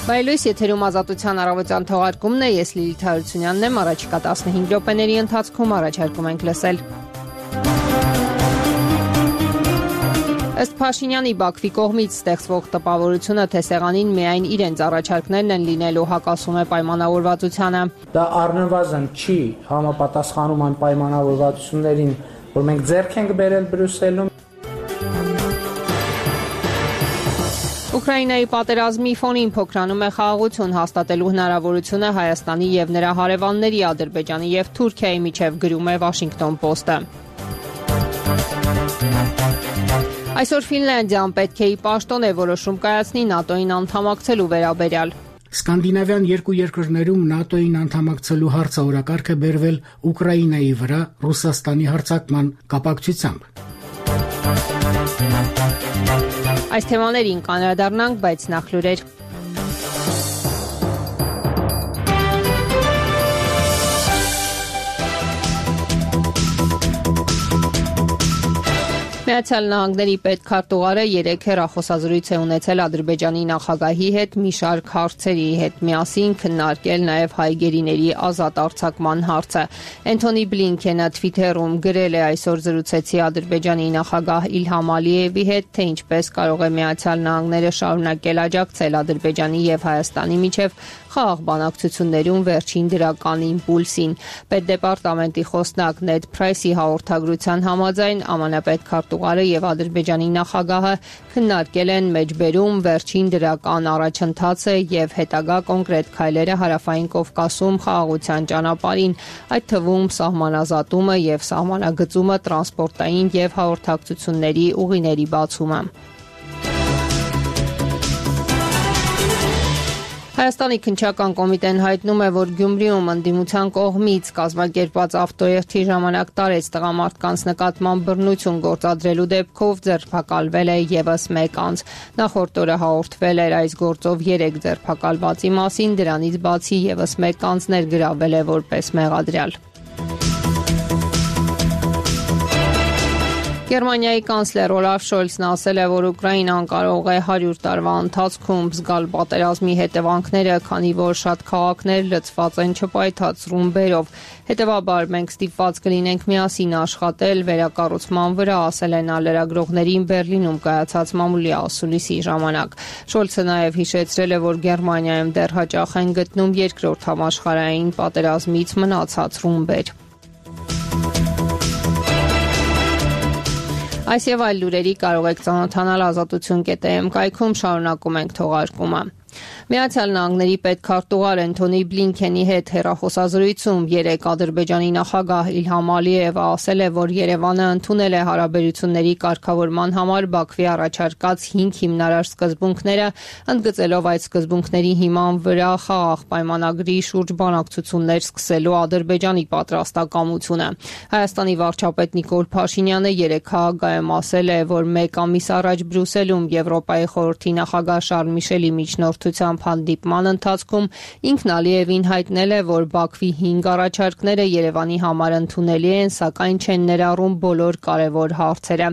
Բայլույս եթերում ազատության առավոտյան թողարկումն է, ես Լիլիթ Հարությունյանն եմ, առաջիկա 15 րոպեների ընթացքում առաջարկում ենք լսել։ Ըստ Փաշինյանի Բաքվի կողմից ստեղծվող տպավորությունը, թե սեղանին միայն իրենց առաջարկներն են լինելու, հակասում է պայմանավորվածությանը։ Դա առնվազն չի համապատասխանում այն պայմանավորվածություններին, որ մենք ձեռք ենք բերել Բրյուսելում։ Ուկրաինայի պատերազմի ֆոնին փոքրանում է խաղաղություն հաստատելու հնարավորությունը Հայաստանի եւ նրա հարևանների Ադրբեջանի եւ Թուրքիայի միջև, գրում է Washington Post-ը։ Այսօր Ֆինլանդիան պետք է ի պաշտոն է որոշում կայացնի ՆԱՏՕ-ին անդամակցելու վերաբերյալ։ Սկանդինավյան երկու երկրներում ՆԱՏՕ-ին անդամակցելու հարցը օրակարգ է բերվել Ուկրաինայի վրա Ռուսաստանի հարձակման կապակցությամբ։ Այս թեմաներին կանրադառնանք, բայց նախ լուրեր։ Միացյալ Նահանգների պետքարտուղարը 3 հեռախոսազրույց է ունեցել Ադրբեջանի նախագահի հետ մի շարք հարցերի հետ, միասին քննարկել նաև հայ գերիների ազատ արձակման հարցը։ Էնթոնի Բլինքենը Twitter-ում գրել է՝ այսօր զրուցեցի Ադրբեջանի նախագահ Իլհամ Ալիևի հետ, թե ինչպես կարող է Միացյալ Նահանգները շարունակել աջակցել Ադրբեջանի եւ Հայաստանի միջև խաղաղ բանակցություններում վերջին դրական իմպուլսին։ Պետդեպարտամենտի խոսնակ Նեդ Փրայսի հաղորդագրության համաձայն ԱՄՆ պետքարտուղարը եւ Ադրբեջանի նախագահը քննարկել են մեջբերում վերջին դրական առաջընթացը եւ հետագա կոնկրետ քայլերը Հարավային Կովկասում խաղաղության ճանապարհին, այդ թվում սահմանազատումը եւ սահմանագծումը, տրանսպորտային եւ հաղորդակցությունների ուղիների բացումը։ Հայաստանի քննչական կոմիտեն հայտնում է, որ Գյումրիում ընդդիմության կողմից կազմակերպված ավտոերթի ժամանակ տարեց տղամարդկանց նկատմամբ բռնություն գործադրելու դեպքով ձերբակալվել է եւս 1 անձ։ Նախորդ օրը հաղորդվել էր այս գործով 3 ձերբակալվածի մասին, դրանից բացի եւս 1 անձ ներգրավել է որպես մեղադրյալ։ Գերմանիայի կանցլեր Օլաֆ Շոլցն ասել է, որ Ուկրաինան կարող է 100 տարվա ընթացքում զգալ պատերազմի հետևանքները, քանի որ շատ քաղաքներ լցված են չպայթած ռումբերով։ Հետևաբար մենք ստիպված կլինենք միասին աշխատել վերակառուցման վրա, ասել է նա լրագրողներին Բերլինում կայացած մամուլի ասուլիսի ժամանակ։ Շոլցը նաև հիշեցրել է, որ Գերմանիայում դեռ հաճախ են գտնում երկրորդ համաշխարհային պատերազմից մնացած ռումբեր։ Այս եւ այլ լուրերի կարող եք ծանոթանալ ազատություն.am կայքում, շարունակում ենք թողարկումը։ Միացյալ Նահանգների պետքարտուղար Էնթոնի Բլինքենի հետ հեռախոսազրույցում 3 Ադրբեջանի նախագահ Իլհամ Ալիևը ասել է, որ Երևանը ընդունել է հարաբերությունների կարգավորման համար Բաքվի առաջարկած 5 հիմնարար սկզբունքները, ընդգծելով այդ սկզբունքների հիման վրա խաղաղ պայմանագրի շուրջ բանակցություններ սկսելու Ադրբեջանի պատրաստակամությունը։ Հայաստանի վարչապետ Նիկոլ Փաշինյանը 3 քաղաքայում ասել է, որ 1 ամիս առաջ Բրյուսելում Եվրոպայի խորհրդի նախագահ Շարլ Միշելի միջնորդությամբ հանդիպման ընթացքում ինքն Ալիևին հայտնել է, որ Բաքվի 5 առաջարկները Երևանի համար ընդունելի են, սակայն չեն ներառում բոլոր կարևոր հարցերը։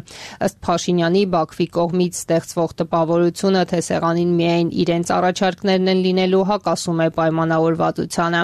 Ըստ Փաշինյանի, Բաքվի կողմից ստեղծվող տպավորությունը, թե սեղանին միայն իրենց առաջարկներն են լինելու, հակասում է պայմանավորվածությանը։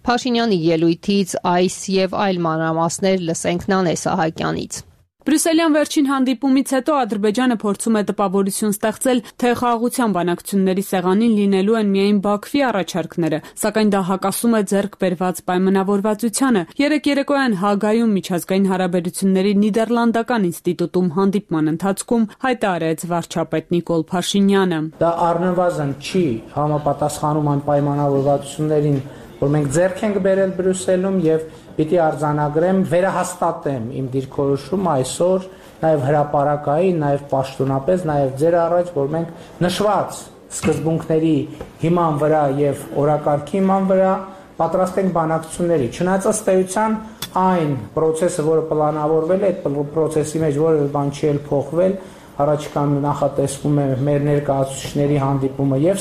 Փաշինյանի ելույթից այս եւ այլ մանրամասներ լսենք Նանե Սահակյանից։ Բրյուսելյան վերջին հանդիպումից հետո Ադրբեջանը փորձում է տպավորություն ստեղծել, թե խաղաղության բանակցությունների սեղանին լինելու են միայն Բաքվի առաջարկները, սակայն դա հակասում է ձեռք բերված պայմանավորվածությանը։ Երեկոյան Հագայում միջազգային հարաբերությունների նիդերլանդական ինստիտուտում հանդիպման ընթացքում հայտարարեց վարչապետ Նիկոլ Փաշինյանը։ Դա առնվազն չի համապատասխանում այն պայմանավորվածություններին, որ մենք ձեռք ենք բերել Բրյուսելում եւ պիտի արձանագրեմ, վերահաստատեմ իմ դիրքորոշումը այսօր, նաև հրապարակային, նաև պաշտոնապես, նաև ձեր առաջ, որ մենք նշված սկզբունքների հիման վրա եւ օրակարգի հիման վրա պատրաստ ենք բանակցությունների։ Չնայած ըստ էության այն process-ը, որը պլանավորվել է, այդ process-ի մեջ որևէ բան չի փոխվել, առաջիկա նախատեսվում է մեր ներկայացուցիչների հանդիպումը եւ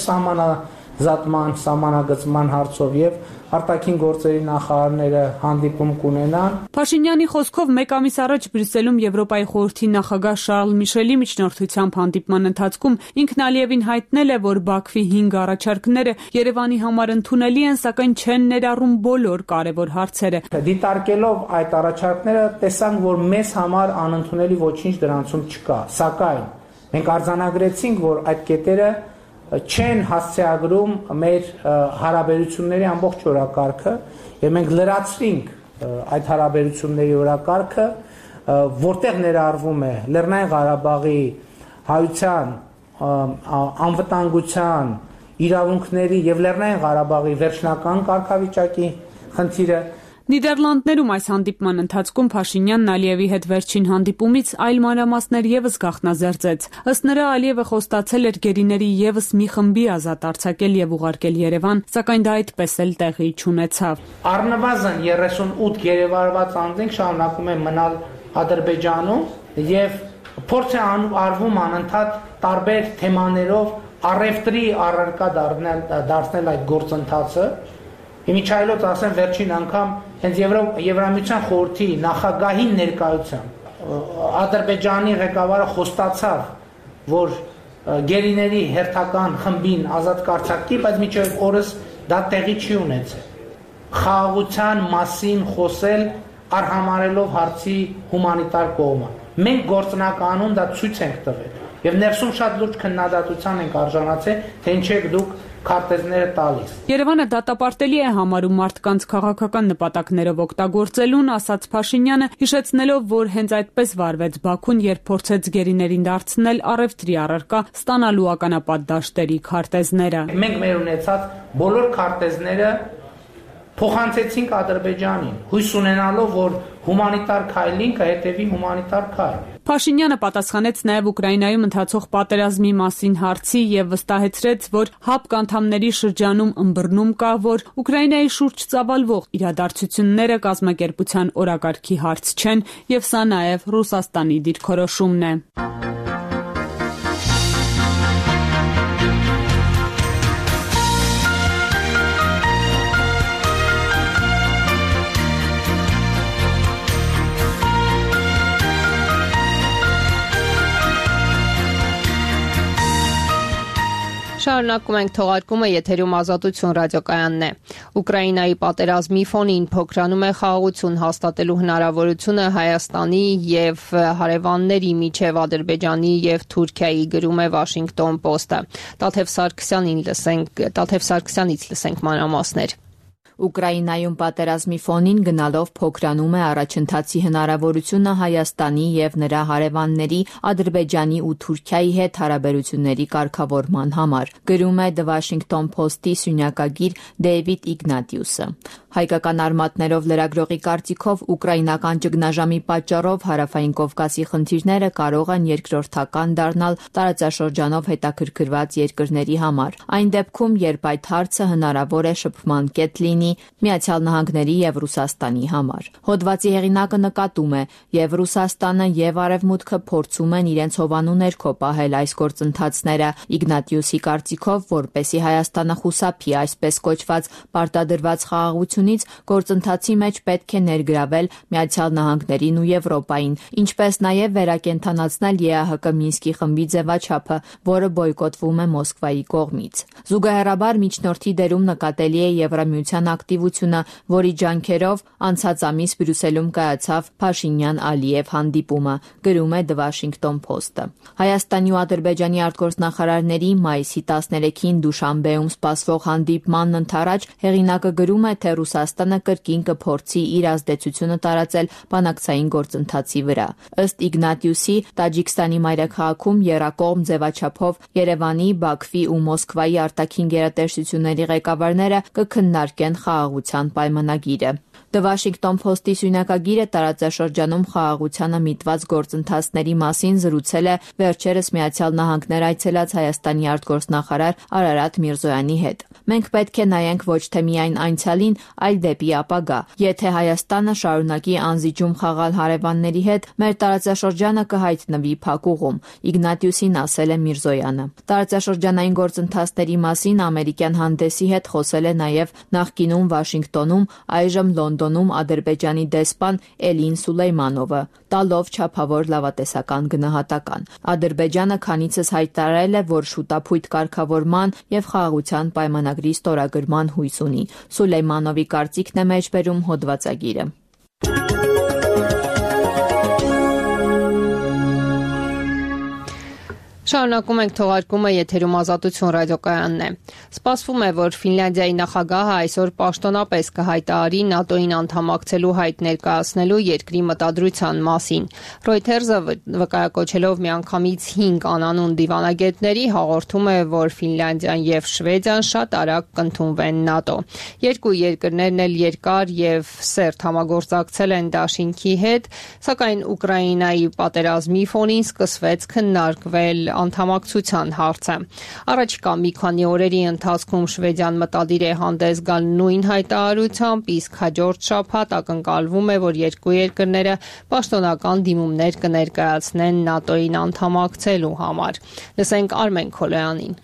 զատման, սահմանագծման հարցով եւ արտաքին գործերի նախարարները հանդիպում կունենան։ Փաշինյանի խոսքով մեկ ամիս առաջ Բրյուսելում Եվրոպայի խորհրդի նախագահ Շարլ Միշելի միջնորդությամբ հանդիպման ընթացքում ինքն Ալիևին հայտնել է, որ Բաքվի 5 առաջարկները Երևանի համար ընդունելի են, սակայն չեն ներառում բոլոր կարևոր հարցերը։ Դիտարկելով այդ առաջարկները տեսանք, որ մեզ համար անընդունելի ոչինչ դրանցում չկա, սակայն մենք արձանագրեցինք, որ այդ կետերը չեն հասցեագրում մեր հարաբերությունների ամբողջ օրակարգը եւ մենք լրացրինք այդ հարաբերությունների օրակարգը, որտեղ ներառվում է Լեռնային Ղարաբաղի հայության, անվտանգության, իրավունքների եւ Լեռնային Ղարաբաղի վերջնական կարգավիճակի խնդիրը։ Նիդերլանդներում այս հանդիպման ընթացքում Փաշինյանն Ալիևի հետ վերջին հանդիպումից այլ մանրամասներ եւս գաղտնազերծեց։ Ըստ նրա Ալիևը խոստացել էր գերիների եւս մի խմբի ազատ արձակել եւ ուղարկել Երևան, սակայն դա այդպես էլ տեղի չունեցավ։ Առնվազն 38 գերեվարված անձինք շարունակում են մնալ Ադրբեջանում եւ փորձ է արվում անընդհատ տարբեր թեմաներով առևտրի առարկա դարձնել այդ գործընթացը։ Իմիջայլոց ասեմ վերջին անգամ հենց Եվրամիության խորհրդի նախագահի ներկայությամբ Ադրբեջանի ղեկավարը խոստացավ, որ գերիների հերթական խմբին ազատ կարձակի, բայց մինչև օրս դա տեղի չի ունեցել։ Խաղաղության մասին խոսել արհամարելով հարցի հումանիտար կողմը։ Մենք գործնականում դա ցույց ենք տվել եւ ներսում շատ լուրջ քննադատության ենք արժանացել, թե ինչ եք դուք քարտեզները տալիս։ Երևանը դատապարտելի է համարում մարդկանց քաղաքական նպատակներով օգտագործելուն, ասաց Փաշինյանը, հիշեցնելով, որ հենց այդպես վարվեց Բաքուն, երբ փորձեց գերիներին դարձնել առևտրի առարկա, ստանալու ականապատ դաշտերի քարտեզները։ Մենք մեր ունեցած բոլոր քարտեզները փոխանցեցինք Ադրբեջանին, հույս ունենալով, որ հումանիտար քայլին կհետևի հումանիտար քայլ։ Փաշինյանը պատասխանեց նաև Ուկրաինայում ընթացող պատերազմի մասին հարցի եւ վստահեցրեց, որ ՀԱՊԿ անդամների շրջանում ըմբռնում կա, որ Ուկրաինայի շուրջ ծավալվող իրադարձությունները կազմակերպության օրակարգի հարց չեն եւ սա նաև Ռուսաստանի դիրքորոշումն է։ Շարունակում ենք թողարկումը, եթերում Ազատություն ռադիոկայանն է։ Ուկրաինայի պատերազմի ֆոնին փոքրանում է խաղաղություն հաստատելու հնարավորությունը Հայաստանի եւ հարևանների միջև Ադրբեջանի եւ Թուրքիայի, գրում է Washington Post-ը։ Տաթև Սարգսյանից լսենք մանրամասներ։ Ուկրաինայում պատերազմի ֆոնին գնալով փոքրանում է առաջընթացի հնարավորությունը Հայաստանի եւ նրա հարևանների Ադրբեջանի ու Թուրքիայի հետ հարաբերությունների կարգավորման համար, գրում է The Washington Post-ի սյունյակագիր Դեյվիդ Իգնատիուսը։ Հայկական արմատներով լրագրողի կարծիքով ուկրաինական ճգնաժամի պատճառով Հարավային Կովկասի խնդիրները կարող են երկրորդական դառնալ տարածաշրջանով հետաքրքրված երկրների համար։ Այն դեպքում, երբ այդ հարցը հնարավոր է շփման կետ լինի Միացյալ Նահանգների եւ Ռուսաստանի համար։ Հոդվածի հեղինակը նկատում է, եւ Ռուսաստանը եւ Արևմուտքը փորձում են իրենց հովանու ներքո պահել այս գործընթացները։ Իգնատիուսի կարծիքով, որպեսզի Հայաստանը խուսափի այսպես կոչված պարտադրված խաղաղությունից, գործընթացի մեջ պետք է ներգրավել Միացյալ Նահանգներին ու Եվրոպային, ինչպես նաեւ վերակենդանացնել ԵԱՀԿ Մինսկի խմբի ձևաչափը, որը բոյկոտվում է Մոսկվայի կողմից։ Զուգահեռաբար միջնորդի դերում նկատելի է Եվրամիության ակտիվությունը, որի ջանքերով անցած ամիս Բրյուսելում կայացավ Փաշինյան-Ալիև հանդիպումը, գրում է The Washington Post-ը։ Հայաստանի ու Ադրբեջանի արտգործնախարարների մայիսի 13-ին Դուշանբեում սպասվող հանդիպմանն ընդառաջ հեղինակը գրում է, թե Ռուսաստանը կրկին կփորձի իր ազդեցությունը տարածել բանակցային գործընթացի վրա։ Ըստ Իգնատիուսի, Տաջիկստանի մայրաքաղաքում եռակողմ ձևաչափով Երևանի, Բաքվի ու Մոսկվայի արտաքին գերատեսչությունների ղեկավարները կքննարկեն խաղաղության պայմանագիրը։ The Washington Post-ի սյունակագիրը տարածաշրջանում խաղաղությանը միտված գործընթացների մասին զրուցել է վերջերս Միացյալ Նահանգներ այցելած Հայաստանի արտգործնախարար Արարատ Միրզոյանի հետ։ Մենք պետք է նայենք ոչ թե միայն անցյալին, այլ դեպի ապագա։ Եթե Հայաստանը շարունակի անզիջում խաղալ հարևանների հետ, մեր տարածաշրջանը կհայտնվի փակուղում, Իգնատիուսին ասել է Միրզոյանը։ Տարածաշրջանային գործընթացների մասին ամերիկյան հանդեսի հետ խոսել է նաև նախկինում Վաշինգտոնում, այժմ Լոնդոնում Ադրբեջանի դեսպան Էլին Սուլեյմանովը, տալով չափավոր լավատեսական գնահատական։ Ադրբեջանը քանիցս հայտարարել է, որ շուտափույթ կարգավորման եւ խաղաղության պայմանագրի ստորագրման հույս ունի։ Սուլեյմանովի կարծիքն է մեջբերում հոդվածագիրը։ Շարունակում ենք թողարկումը, եթերում Ազատություն ռադիոկայանն է։ Սպասվում է, որ Ֆինլանդիայի նախագահը այսօր պաշտոնապես կհայտարարի ՆԱՏՕ-ին անդամակցելու հայտ ներկայացնելու երկրի մտադրության մասին։ Reuters-ը վկայակոչելով միանգամից 5 անանուն դիվանագետների հաղորդում է, որ Ֆինլանդիան եւ Շվեդիան շատ արագ կընդունվեն ՆԱՏՕ։ Երկու երկրներն էլ երկար եւ սերտ համագործակցել են դաշինքի հետ, սակայն Ուկրաինայի պատերազմի ֆոնին սկսվեց քննարկվել անդամակցության հարցը։ Առաջիկա մի քանի օրերի ընթացքում Շվեդիան մտադիր է հանդես գալ նույն հայտարարությամբ, իսկ հաջորդ շաբաթ ակնկալվում է, որ երկու երկրները պաշտոնական դիմումներ կներկայացնեն ՆԱՏՕ-ին անդամակցելու համար։ Լսենք Արմեն Քոլոյանին։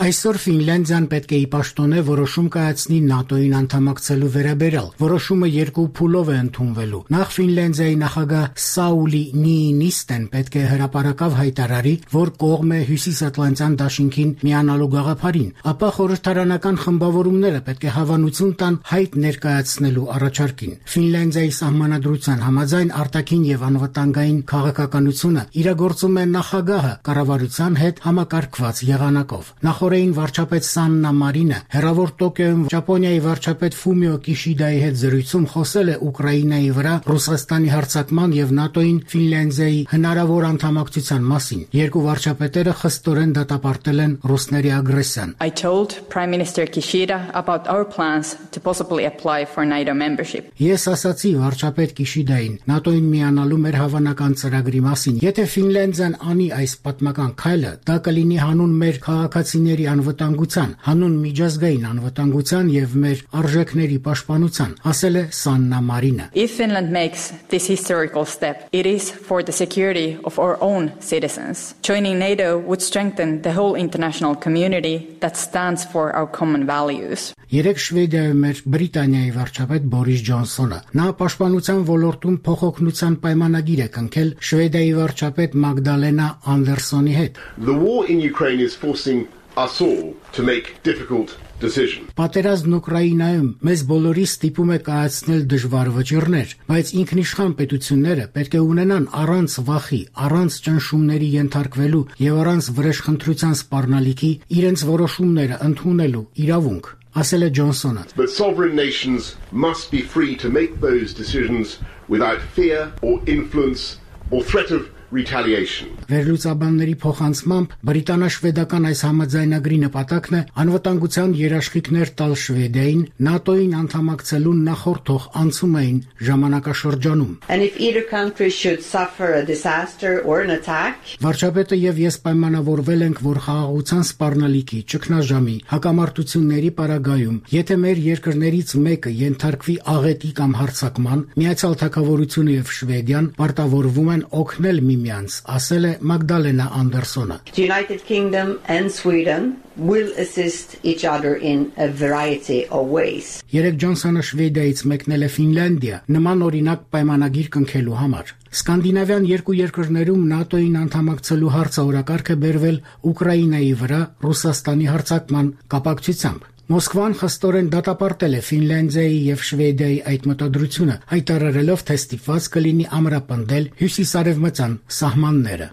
Այսօր Ֆինլանդիան պետք է ի պաշտոնե որոշում կայացնի ՆԱՏՕ-ին անդամակցելու վերաբերյալ։ Որոշումը երկու փուլով է ընդունվելու։ Նախ Ֆինլանդիայի նախագահ Սաուլի Նիինիստեն պետք է հրապարակավ հայտարարի, որ կողմ է Հյուսիսատլանտյան դաշինքին միանալու գաղափարին, ապա խորհրդարանական խմբավորումները պետք է հավանություն տան հայտ ներկայացնելու առաջարկին։ Ֆինլանդիայի սահմանադրության համաձայն արտաքին եւ անվտանգային քաղաքականությունը իրագործում է նախագահը կառավարության հետ համակարգված եղանակով։ Նախորդին վարչապետ Սաննա Մարինը հեռավոր Տոկիոյում Ճապոնիայի վարչապետ Ֆումիո Կիշիդայի հետ զրույցում խոսել է Ուկրաինայի վրա Ռուսաստանի հարձակման եւ ՆԱՏՕ-ին Ֆինլանդիայի հնարավոր անդամակցության մասին։ Երկու վարչապետերը խստորեն դատապարտել են ռուսների ագրեսիան։ I told Prime Minister Kishida about our plans to possibly apply for NATO membership. Ես ասացի վարչապետ Կիշիդային ՆԱՏՕ-ին միանալու մեր հավանական ծրագրի մասին։ Եթե Ֆինլանդիան անի այս պատմական քայլը, դա կլինի հանուն մեր քաղաքացիների անվտանգության, հանուն միջազգային անվտանգության եւ մեր արժեքների պաշտպանության, ասել է Սաննա Մարինը։ If Finland makes this historical step, it is for the security of our own citizens. Joining NATO would strengthen the whole international community that stands for our common values. Երեք Շվեդիայում էր Բրիտանիայի վարչապետ Բորիս Ջոնսոնը։ Նա պաշտպանության ոլորտում փոխօգնության պայմանագիր է կնքել Շվեդիայի վարչապետ Մագդալենա Անդերսոնի հետ։ The war in Ukraine is forcing us all to make difficult decisions. Պատերազմն Ուկրաինայում մեզ բոլորի ստիպում է կայացնել դժվար վճիռներ, բայց ինքնիշխան պետությունները պետք է ունենան առանց վախի, առանց ճնշումների ենթարկվելու եւ առանց վրեժխնդրության սպառնալիքի իրենց որոշումները ընդունելու իրավունք, ասել է Ջոնսոնը։ But sovereign nations must be free to make those decisions without fear or influence or threat of retaliation. Վերլուծաբանների փոխանցմամբ բրիտանա-շվեդական այս համաձայնագրի նպատակն է անվտանգության երաշխիքներ տալ Շվեդիային ՆԱՏՕ-ին անդամակցելու նախորդող անցումային ժամանակաշրջանում։ And if either country should suffer a disaster or an attack, վարչապետը եւ ես պայմանավորվել ենք, որ խաղաղության սպառնալիքի, ճգնաժամի, հակամարտությունների պարագայում, եթե մեր երկրներից մեկը ենթարկվի աղետի կամ հարձակման, Միացյալ Թագավորությունը եւ Շվեդիան պարտավորվում են օգնել միմյանց, ասել է Մագդալենա Անդերսոնը։ the United Kingdom and Sweden will assist each other in a variety of ways. Երեք Ջոնսոնը Շվեդիայից մեկնել է Ֆինլանդիա նման օրինակ պայմանագիր կնքելու համար։ Սկանդինավյան երկու երկրներում ՆԱՏՕ-ին անդամակցելու հարցը օրակարգ է բերվել Ուկրաինայի վրա Ռուսաստանի հարձակման կապակցությամբ։ Մոսկվան խստորեն դատապարտել է Ֆինլանդիայի եւ Շվեդիայի այդ մտադրությունը, հայտարարելով, թե ստիպված կլինի ամրապնդել հյուսիսարևմտյան սահմանները։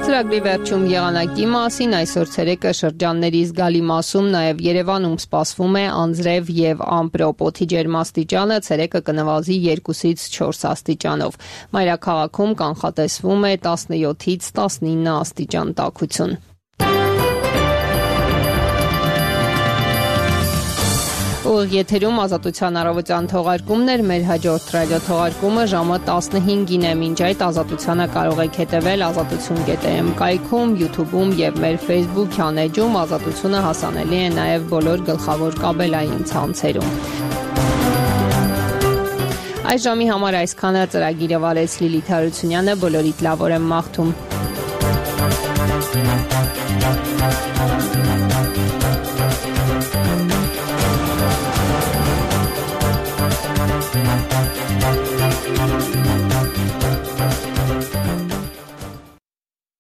Ծրագրի վերջում եղանակի մասին այսօր ցերեկը շրջանների զգալի մասում նաև Երևանում սպասվում է անձրև եւ ամպրոպ, օդի ջերմաստիճանը ցերեկը կնվազի 2-ից 4 աստիճանով։ Մայրաքաղաքում կանխատեսվում է 17-ից 19 աստիճան տաքություն։ Ուղիղ եթերում Ազատության առավոտյան թողարկումներ, մեր հաջորդ ռադիոթողարկումը ժամը 15-ին է, մինչ այդ Ազատությանը կարող եք հետևել azatutun.am կայքում, YouTube-ում եւ մեր Facebook-յան էջում Ազատությունը հասանելի է նաեւ բոլոր գլխավոր կաբելային ցանցերում։ Այս ժամի համար այսքանը, ծրագիրը վարեց Լիլիթ Հարությունյանը, բոլորիդ լավ օր եմ մաղթում։